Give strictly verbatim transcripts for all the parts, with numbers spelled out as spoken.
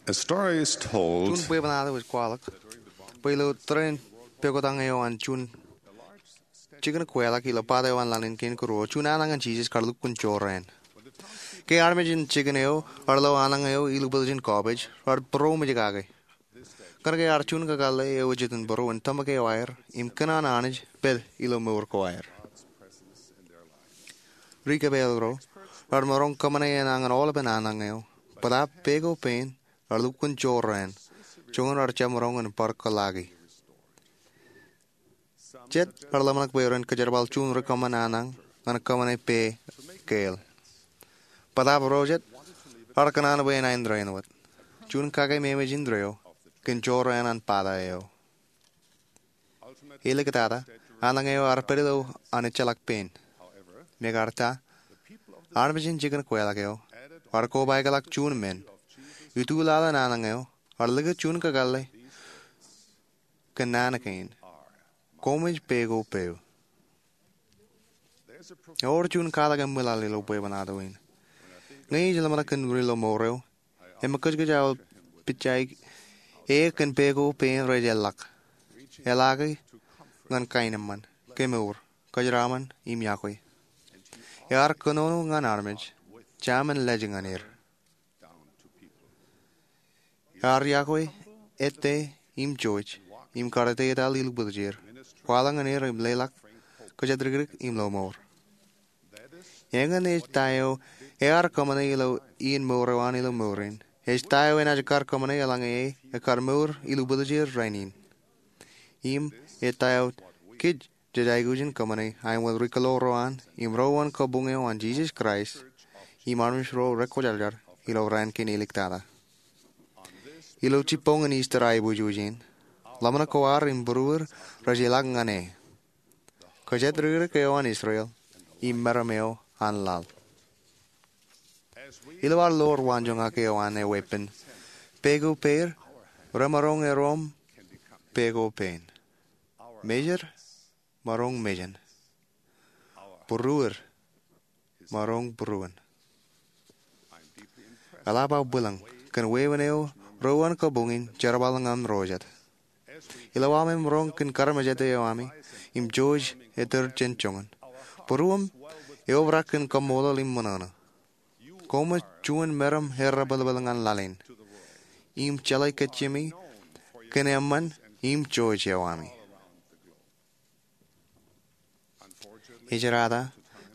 A story is told. Juon bwebwenato ej kwaḷọk bwe ilo tōre in pokwotañ eo an juon jikin kweḷḷọk ilo pata eo an laḷ in kein kōruo, juon anañin Jisōs kar lukkuun jorrāān. Ke armej in jikin eo raar lo anañ eo ilubwiljin kọọpej, raar būroṃōj kake. Kōnke ear juon kakōḷḷe eo ej itok būruon tōmak eo aer im kōṇaan Anij pād ilo mour ko aer. Ri kōpeḷḷọk ro raar maroñ kōṃṃane enañin aolepen anañ eo, bōtaab peko pein raar lukkuun jorrāān, joñan raar jab maroñ in bar kōḷḷaaki. Jet raar ḷōmṇak bwe ren kōjerbal juon ri kōṃṃan anañ ñan kōṃṃane pe keil. Bōtaab ro jet raar kōṇaan bwe enañin rein wōt. Juon kake memeej indeeo kōn jorrāān an pata eo. Āliktata, anañ eo ear pād ilo an ejjeḷọk pein. Mekarta, armej in jikin kweḷḷọk eo raar kobaikḷọk juon men. Ituḷaḷ in anañ eo raar likūt juon kakōḷḷe kōn naan kein: Koṃij peko peiū. Ewōr juon katak eṃwilaḷ ilo bwebwenato in. Ñe ij ḷōmṇak kōn ri ḷōmour eo, im kōjkōj aō pitjaik e kōn peko pein rej eḷḷọk. Eḷaaki ñan kaenōṃṃan, kemour, kōjeraaṃṃan im iọkwe. Ear kōnono ñan armej, jaṃin lej ñan er. Ear iọkwe ettā im jouj, im kar ettā etal ilubwiljier, kwaḷọk ñan er im leḷọk kōjatdikdik im ḷōmour. Eñin ej ta eo ear kōṃṃane ilo iien mour eo an ilo mour in. Ej ta eo enaaj kar kōṃṃane eḷaññe e ekkar mour ilubwiljier rainin. Im ej ta eo kōj jej aikuj in kōṃṃane aemwōj ri kōḷḷoor ro an im ro uwain kabuñ eo an Jisōs Kraist im armej ro rekwōjarjar ilo raan kein āliktata. Ilo jibboñin Ister aiboojoj in, ḷōmṇak ko ad im būruod rej ilọk ñan e, kōjatdikdik eo an Israel im meram eo an laḷ. Ilo ad ḷoor waanjoñak eo an e weeppān, peko peir remaroñ erom peko pein. Mejed maroñ mejān. Būruod maroñ būruon. Eḷap aō bwilōñ kōn wāween eo ro uwain kabuñ in jerbal ñan ro jet. Ilo aṃ maroñ kōn karamjete eo ami im jouj ettōr jān joñan, būruōṃ eobrak kōn kaṃṃoolol im ṃōṇōṇō. Koṃij juon meram errepelpel ñan laḷ in im jeḷā kajjimi kōn eṃṃan im jouj eo ami. Ejirata,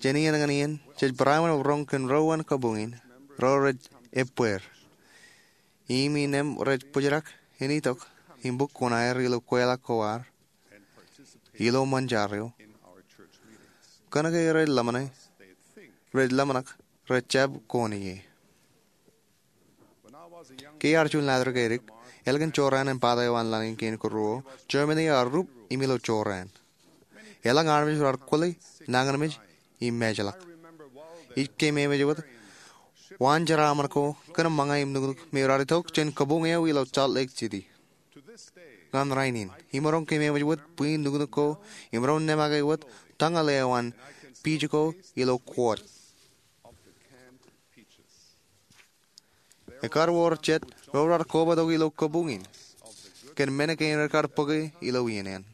jān iien ñan iien jej barāinwōt roñ kōn ro uwain kabuñ in ro rej ebbeer. Im innām rej bōjrak in itok im bōk kuṇaer ilo kweḷḷọk ko ad ilo ṃōn jar eo, kōnke rej ḷōmṇe, rej ḷōmṇak rej jab kōn ie. Ke iar juon laḷ ri keidik, ālikin jorrāān in pata eo an laḷ in kein kōruo, Germany ear rup im ilo jorrāān. Elōñ armej raar kwōle, nañinmej im ejjeḷọk. Ij keememej wōt waan jeraaṃṃan ko kōn ṃōñā im nuknuk me raar itok jān kabuñ eo ilo Salt Lake City ñan rainin, im maroñ keememej wōt bwij nuknuk ko im maroñ nemake wōt tañal eo an piij ko ilo kuwōt. Ekkar wōr jet ro raar kobatok ilo kabuñ in kōn men kein rekar bōke ilo iien in.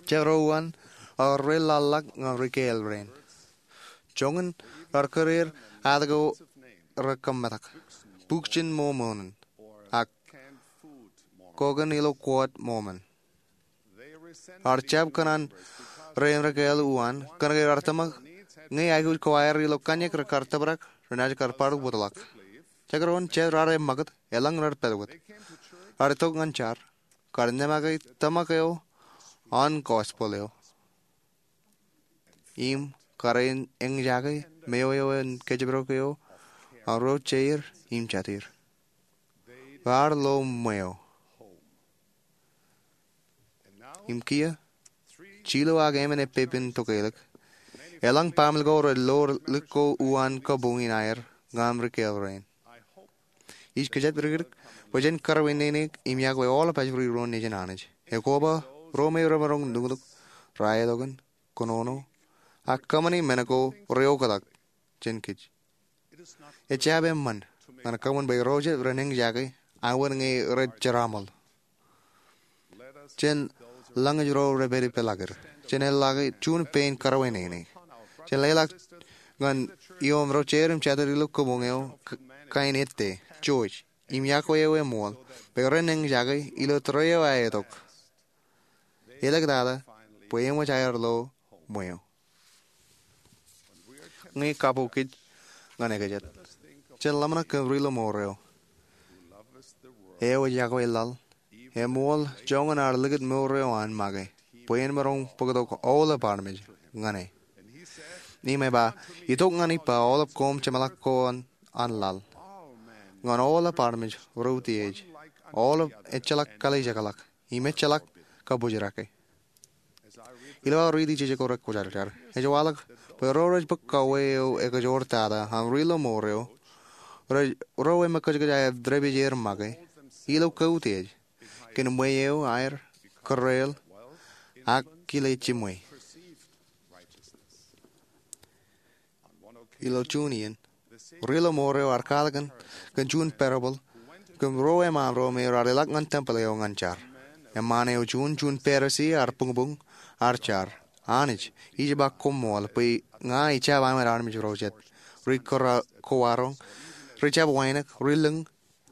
Jet ro uwain ear reḷḷaḷḷọk ñan ri kāāl rein. Joñan raar kōreer aet ko rekōmetak, Buk jān Mormon, ak Koken ilo Kuwōt Mormon. Ear jab kōṇaan rein ri kāāl uwaan kōnke raar tōmak ñe aikuj ko aer ilo kōṇaan rekar tōprak renaaj kar bar wōtlọk. Jekdọọn jet raar eṃṃakūt, elōñ rej pād wōt. Raar itok ñan jar, kar nemake tōmak eo an gospel eo im kar eñjake meo eo an kōjparok eo an ro jeir im jatier. Raar lo ṃweo. Im kiiō, jilu ak emān epepen tokālik, elōñ baaṃle ko rej lo lik ko uwaan kabuñ in aer ñan ri kāāl rein. Ij kōjatdikdik bwe jen kōrā inneineik im iọkwe aolep ajri ro nejin Anij, ekoba ro me remaroñ nuknuk, rāelokin, kōnono, ak kōṃṃane men ko reoktak jān kōj. Ejjab eṃṃan ñan kōṃṃan bwe ro jet ren eñjake aṃ wōt ñe rej jeraaṃōl. Jen lañōj ro rej pād ippān ḷọk er. Jen leḷọk juon pein kōrā eo nene. Jen leḷọk ñan ioon ro jeid im jatid ilo kōṃṃan eo kain ettā, Jewish, im yokwe eo eṃool bwe ren eñjake ilo tōre eo aetok. Elōñ tata bwe eṃōj aer lo ṃweo. Ñe kabuñ kōj ñan ekajet, jen ḷōmṇak kōn ri-lọmọọr eo, eo ej yokwe laḷ, eṃool joñan ad likūt mour eo an make bwe en maroñ bōktok aolep armej ñan e. Im ej ba, itok ñan ippa aolep koṃ jeṃḷọk ko an laḷ, ñan aolep armej ro utiej, aolep ejjeḷọk kalijekḷọk im ejjeḷọk kabōjrake. Ilo aō riiti jejako rekwōjarjar, ej waḷọk bwe ro rej bōk kauwe eo ekajoor tata an ri-lọmọọr eo, ro eṃōj kōjkōj aer dāpij er make ilo kautiej kōn ṃweo aer, kōreel, ak kile jiṃwe. Ilo juon iien, ri-lọmọọr eo ear kwaḷọk kōn juon parable kōn ruo eṃṃaan ro me raar ilọk ñan tempel eo ñan jar. Eṃṃaan eo juon, juon Pharisi ear buñbuñ, ear jar, Anij, ij ba koṃṃool bwe ña ij jab aṃwed armej ro jet, ri kowaroñ, ri jab wānōk, ri lōñ,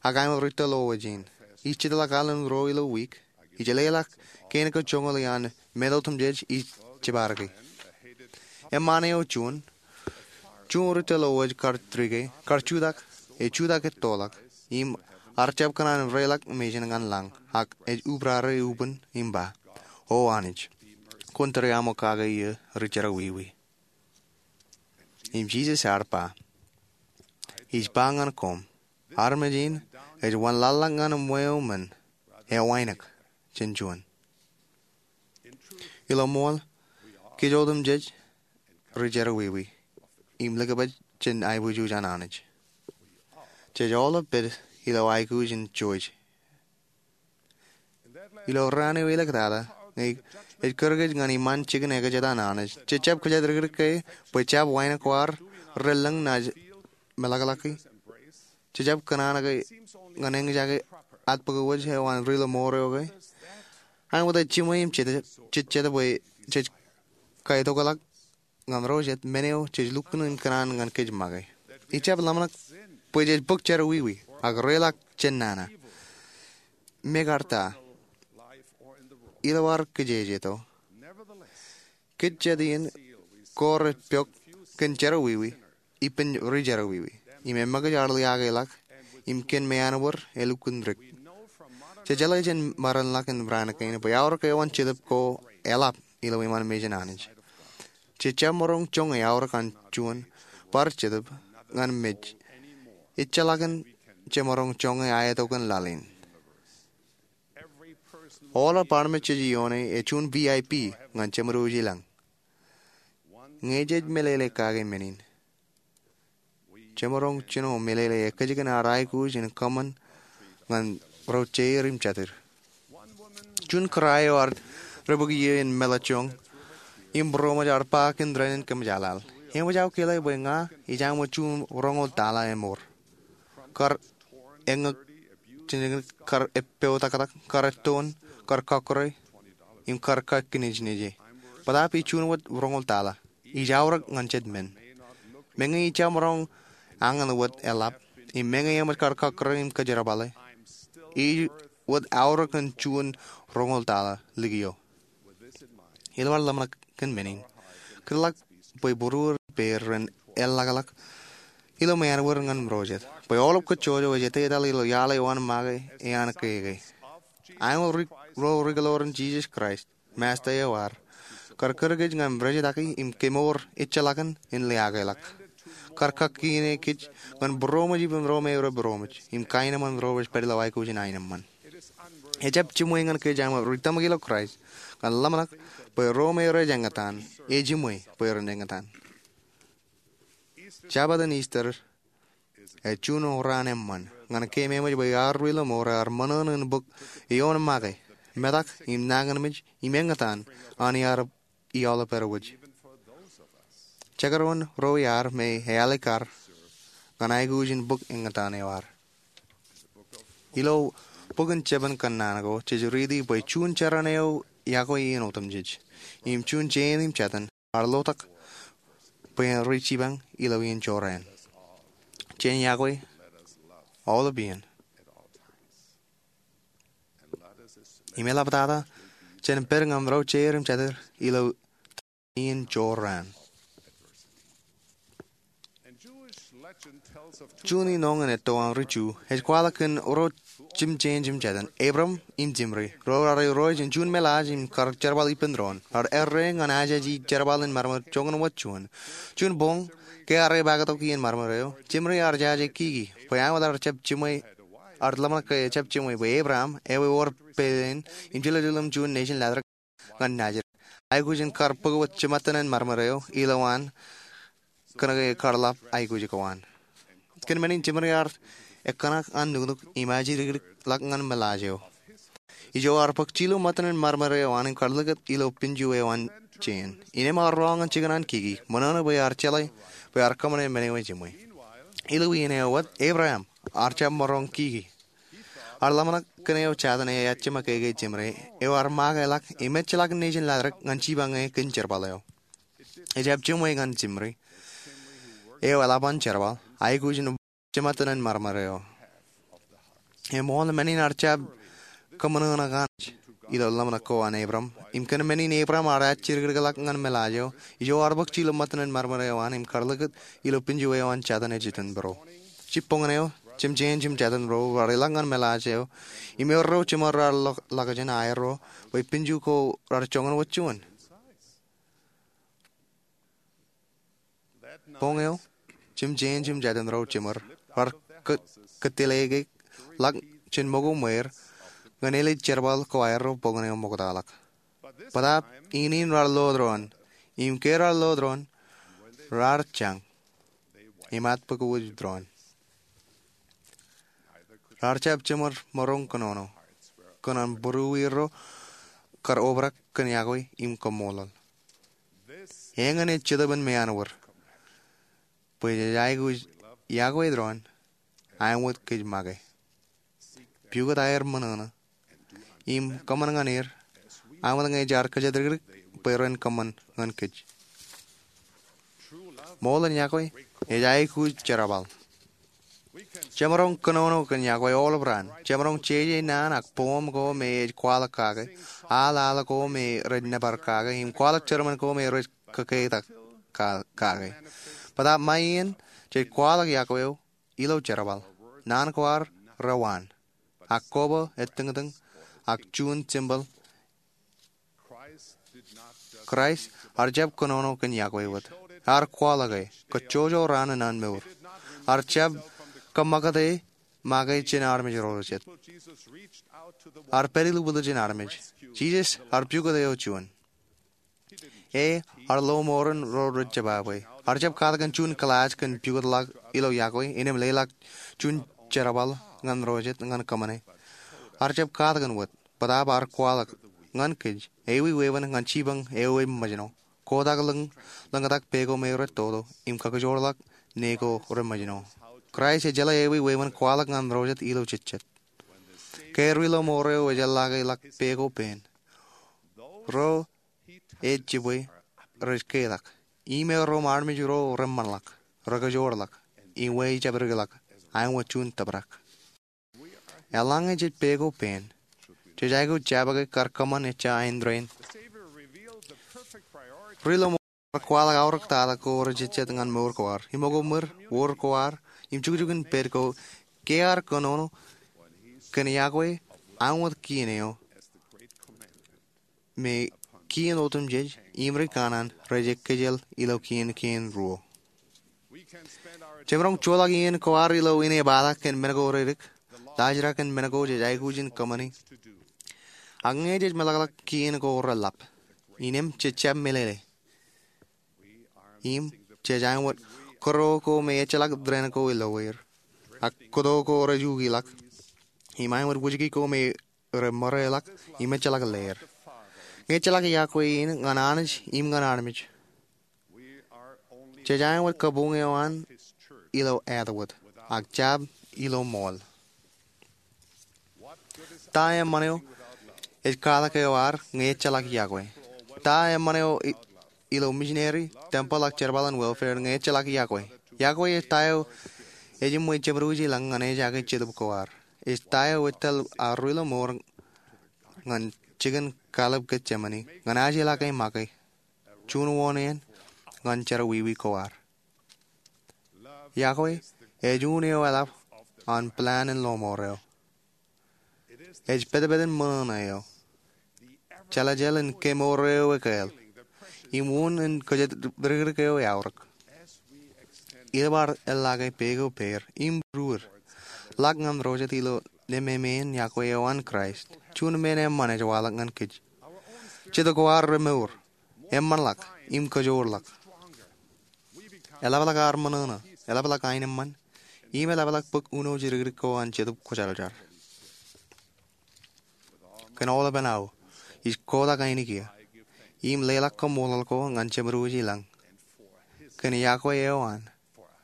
ak aṃwed ri tōl lowōj in. Ij jitḷọk alen ro ilo wiik. Ij leḷọk kein ko joñoul iaan men otemjej ij jiparke. Eṃṃaan eo juon, juon ri tōl lowōj kar trike, kar jutak, ej jutak ettoḷọk, im ear jab kōṇaan reiḷọk mejān ñan lañ, ak ej ubrare ubōn im ba, O Anij, kwōn tūri aṃ kake iiō ri jerọwiwi. Im Jisōs ear ba, Ij ba ñan koṃ, armej in ej wanlaḷḷọk ñan ṃweo men, ewānōk jān juon. Ilo ṃool, kōj otemjej ri jerọwiwi im likabaj jān aiboojoj an Anij. Jej aolep pād ilo aikuj in Jewish. Ilo raan eo elōñ tata, ñe ej kūr kōj ñan iṃaan jikin ekajet an Anij, jej jab kōjatdikdik ke bwe jab wānōk ko ad relōñ naaj meḷọkḷọki? Jej jab kōṇaan ke ñan eñjake atbōk wōj eo an ri-lọmọọr eo ke? Aṃ wōt ej jiṃwe im jej jejjet bwe jej kaitokḷọk ñan ro jet men eo jej lukkuun in kōṇaan ñan kōj make. Ij jab ḷōmṇak bwe jej bōk jerọwiwi ak reiḷọk jān nana. Mekarta, ilo ad kijejeto, kōj jet iien ko rej pok kōn jerọwiwi ippān ri jerọwiwi, im eṃōkaj ad liaakḷọk im kōn meanbōd elukkuun dik. Jej jeḷā jān maroñḷọk in raan kein bwe aorōk eoon Jetōb ko eḷap ilo iṃaan mejān Anij. Jej jab maroñ joñe aorōk an juon bar Jetōb ñan mej ejjeḷọkin jemaroñ joñe aetokan laḷ in. Aolep armej jej ioone ej juon V I P ñan Jemedwōj ilañ. Ñe jej meḷeḷe kake men in, jemaroñ jino meḷeḷe ekkejkin ad aikuj in kōṃṃan ñan ro jeid im jatid. Juon kōrā eo ear debōk iiō in meḷọkjeṇ im būroṃōj ear ba kōn dān in kōmjaaḷaḷ, Eṃōj aō kile bwe ña ij aṃ wōt juon roñoul taḷa eṃor, kar eññōk, kar eppeotaktak, kar ettoon, kar kọkkure, im kar kakkinejneje. Bōtaab ij juon wōt roñoul taḷa. Ij aorōk ñan jet men. Meñe ij jab maroñ añin wōt eḷap, im meñe eṃōj kar kọkkure im kōjerbale, ij wōt aorōk ñan juon roñoul taḷa likio. Ilo ad ḷōmṇak kōn men in, kōtḷọk bwe būruod ippāer ren eḷḷọkḷọk ilo meanbōd ñan ro jet bwe aolep kōjjojo ej etetal ilo iaḷ eo an make ean keke. Aṃ ri, ro rikiloorin Jisōs Kraist, Masta eo ad, kar kūr kōj ñan rijitaki im kemour ejjeḷọkin in liaakḷọk, kar kakkine kōj ñan būroṃōj ippān ro me rej būroṃōj im kaenōṃṃan ro rej pād ilo aikuj in aenōṃṃan. Ejjab jiṃwe ñan kōj aṃ ri tōmak ilo Kraist ñan ḷōmṇak bwe ro me rej eñtaan, ejiṃwe bwe ren eñtaan. Jabōt in Easter ej juon raan eṃṃan ñan kōm eṃōj bwe ad ri-lọmọọr ear ṃōṇōṇō in bōk eoon make, metak im nañinmej im eñtaan an iaar iaḷ pād wōj. Jekdọọn ro iaad me ealikkar ñan aikuj in bōk eñtaan eo ad. Ilo bok in Jabōn Kōnnaan ko jej riiti bwe juon jeran eo iakwe iien otemjej im juon jein im jatōn ear lotak bwe en ri jipañ ilo iien jorrāān. Jen iakwe aolep iien. Im eḷaptata jen pād ñan ro jeir im jatid ilo iien jorrāān. Juon ioon etto an ri Ju ej kwaḷọk kōn ro jemjein im jatōn, Abram im Zimri, ro raar irooj in juon meḷaaj im kar jerbal ippān doon. Raar errā ñan ajeje jerbal in marmar joñan wōt juon. Juon boñ ke ear epaaktok iien marmar eo, Zimri ear jaje kiki bwe āinwōt ear jab jiṃwe, ear ḷōmṇak ke ejab jiṃwe bwe Abram, ewi ewōr peiḷ in im jiljilimjuon nejin ḷatrōk ñan Nazeret, aikuj in kar bōk wōt jiṃṃattōn in marmar eo ilowaan kōnke ekar ḷap aikuj ko an. Kōn men in Zimri ear ekōṇak an nuknuk im ajjidikdik ḷọk ñan meḷaaj eo. Ijo ear bōk jilu ṃōttōn in marmar eo an im kar likūt ilo pinju eo an jein. Innām ear roñ ñan jikin an kiki, ṃōṇōṇō bwe ear jeḷā bwe ear kōṃṃane men eo ejiṃwe. Ilo iien eo wōt, Abram ear jab maroñ kiki. Ear ḷōmṇak kōn eo jatōn eo ejjab make ke Zimri, eo ear make ḷọk im ejjeḷọk nejin ḷatrōk ñan jipañ e kōn jerbal eo. Ejab jiṃwe ñan Zimri, eo eḷap an jerbal, aikuj in jiṃṃattōn in marmar eo. Eṃṃool, men in ear jab kōṃōṇōṇō kōn ilo ḷōmṇak ko an Abram im kōn men in Abram ear ajjidikdik ḷọk ñan meḷaaj eo, ijo ear bōk jilu ṃōttōn in marmar eo an im kar likūt ilo pinju eo an jatōn eo jitōnbōro. Jibboñōn eo, jemjein im jatōn ro raar ilọk ñan meḷaaj eo im erro jiṃor raar ḷọk, ḷọkjeṇ aerro bwe pinju ko raar joñan wōt juon. Boñ eo, jemjein im jatōn ro jiṃor raar kō-, kōtteleke ḷọk jān ṃōko ṃweer ñan ālij jerbal ko aerro boñōn eo ṃoktaḷọk. Bōtaab iien in raar lo doon, im ke raar lo doon, raar jañ im atbōkōwōj doon. Raar jab jiṃor maroñ kōnono kōn an būruerro kar obrak kōn iakwe im kaṃṃoolol. Eñin ej Jetōb in meanwōd bwe jej aikuj iakwe doon āinwōt kōj make. Pukot aer ṃōṇōṇō im kōṃṃan ñan er āinwōt ñe jaar kōjatdikdik bwe ren kōṃṃan ñan kōj. Ṃool in iakwe ej aikuj jerbal. Jemaroñ kōnono kōn iakwe aolep raan. Jemaroñ jeje naan ak poem ko me ej kwaḷọk kake, al al ko me rej nōbar kake, im kwaḷọk sermon ko me rej kōketak ka-, kake. Bōtaab ṃae iien jej kwaḷọk iakwe eo ilo jerbal. Naan ko ad rewaan, ak koba etōñtōñ, ak juon tempeḷ. Kraist ear jab kōnono kōn iakwe wōt. Ear kwaḷọk e kajjojo raan in an mour. Ear jab kōṃakūt e make jān armej ro jet. Ear pād ilubwiljin armej. Jisōs ear pukot eo juon. E, ear lo mour in ro rej jebabwe. Ear jab katakin juon kilaaj kōn pukot ḷọk ilo iakwe, innām leḷọk juon jerbal ñan ro jet ñan kōṃṃane. Ear jab katakin wōt, bōtaab ear kwaḷọk ñan kōj, ewi wāween ñan jipañ eo eṃōjṇọ, kotak lōñ, lōñtak pā ko me rej toto, im kakijoorḷọk ne ko reṃōjṇọ. Kraist ejeḷā ewi wāween kwaḷọk ñan ro jet ilo jejjet. Ke ri lo mour eo ejeḷḷake ḷọk pā ko pāān, ro ej jibwe rej ketak. Im erro im armej ro reṃṃanḷọk, rekajoorḷọk, im wej jabdikḷọk āinwōt juon tōprak. Eḷaññe jej pā ko pāān, jej aikuj jabōke kar kōṃṃan ejja āindein. Ri lo mour ear kwaḷọk aorōk tata ko rejejjet ñan mour ko ad, im ṃōko ṃwir, wōr ko ad, im jukjuk in pād ko, ke ear kōnono kōn iakwe āinwōt kien eo me kien otemjej im ri kanaan rej ekkejel ilo kien kein ruo. Jemaroñ joḷọk iien ko ad ilo inepata kōn men ko redik, laajrak kōn men ko jej aikuj in kōṃṃani. Ak ñe jej meḷọkḷọk kien ko reḷap, innām jej jab meḷeḷe. Im jej āinwōt kōto ko me ejjeḷọk dān ko ilo er, ak kōto ko rej ukiḷọk, im āinwōt wōjke ko me reṃōreḷọk im ejjeḷọk leer. Ñe ejjeḷọk iakwe in ñan Anij im ñan armej, jej āinwōt kabuñ eo an ilo āt wōt ak jab ilo ṃool. Ta eṃṃan eo ej katak eo ad ñe ejjeḷọk iọkwe? Ta eṃṃan eo ilo missionary, temple ak jerbal in welfare ñe ejjeḷọk iọkwe? Iọkwe ej ta eo ejiṃwe jeṃdooj ilañ ñan ejake jetōb ko ad. Ej ta eo ej tōl ad ri-lọmọọr ñan jikin kallib Getsemane ñan ajeḷā ke make juon wōṇāān ñan jerọwiwi ko ad. Iọkwe ej un eo eḷap an plan in lọmọọr eo. Ej petpet in ṃōṇōṇō eo. Jeḷājeḷ in kemour eo ekāāl im un in kōjatdikdik eo eaorōk. Ilo ad eḷḷake peik eo pād im ruod ḷọk ñan ro jet ilo nemāmeen iọkwe eo an Kraist, juon men eṃṃan ej waḷọk ñan kōj. Jetōb ko ad remour, eṃṃanḷọk im kōjoorḷọk. Eḷapḷọk ad ṃōṇōṇō, eḷapḷọk aenōṃṃan, im eḷapḷọk bōk uno jidikdik ko an Jetōb Kwōjarjar. Kōn aolepān aō ij kotak ainikien im leḷọk koṃṃool ko ñan jeṃdooj ilañ, kōn iọkwe eo an,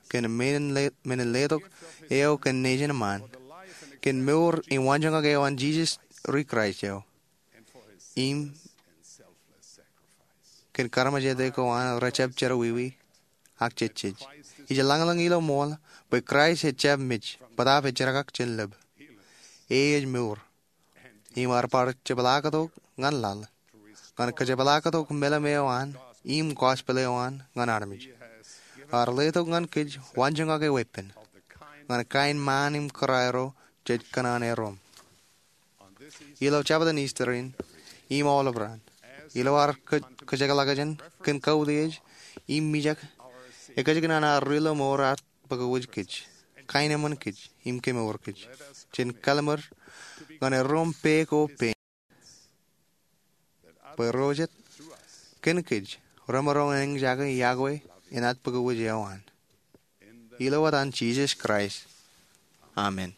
kōn men in letok eo kōn nejin ṃaan, kōn mour im waanjoñak eo an Jisōs ri Kraist eo, im kōn kaarmejāte ko an rejjab jerọwiwi ak jejjej. Ij lañlōñ ilo ṃool bwe Kraist ejjab mej bōtaab ejjeḷọk jān lōb. E ej mour im ear bar jepḷaaktok ñan laḷ ñan kōjepḷaaktok meḷeḷe eo an im gospel eo an ñan armej. Ear letok ñan kōj waanjoñak eo epen ñan kain ṃaan im kōrā ro jej kōṇaan erom. Ilo jabōt in Easter in im aolep raan, ilo ad kōjekḷọk jān kōn kautiej im mijak, ekōjkan an ad ri-lọmọọr ear bōk wōj kōj, kaenōṃṃan kōj im kemour kōj. Jen kallimur ñan erom pā ko pā bwe ro jet kōn kōj remaroñ in eñjake iọkwe in ad bōk wōj eo an. Ilo etan Jisōs Kraist, amen.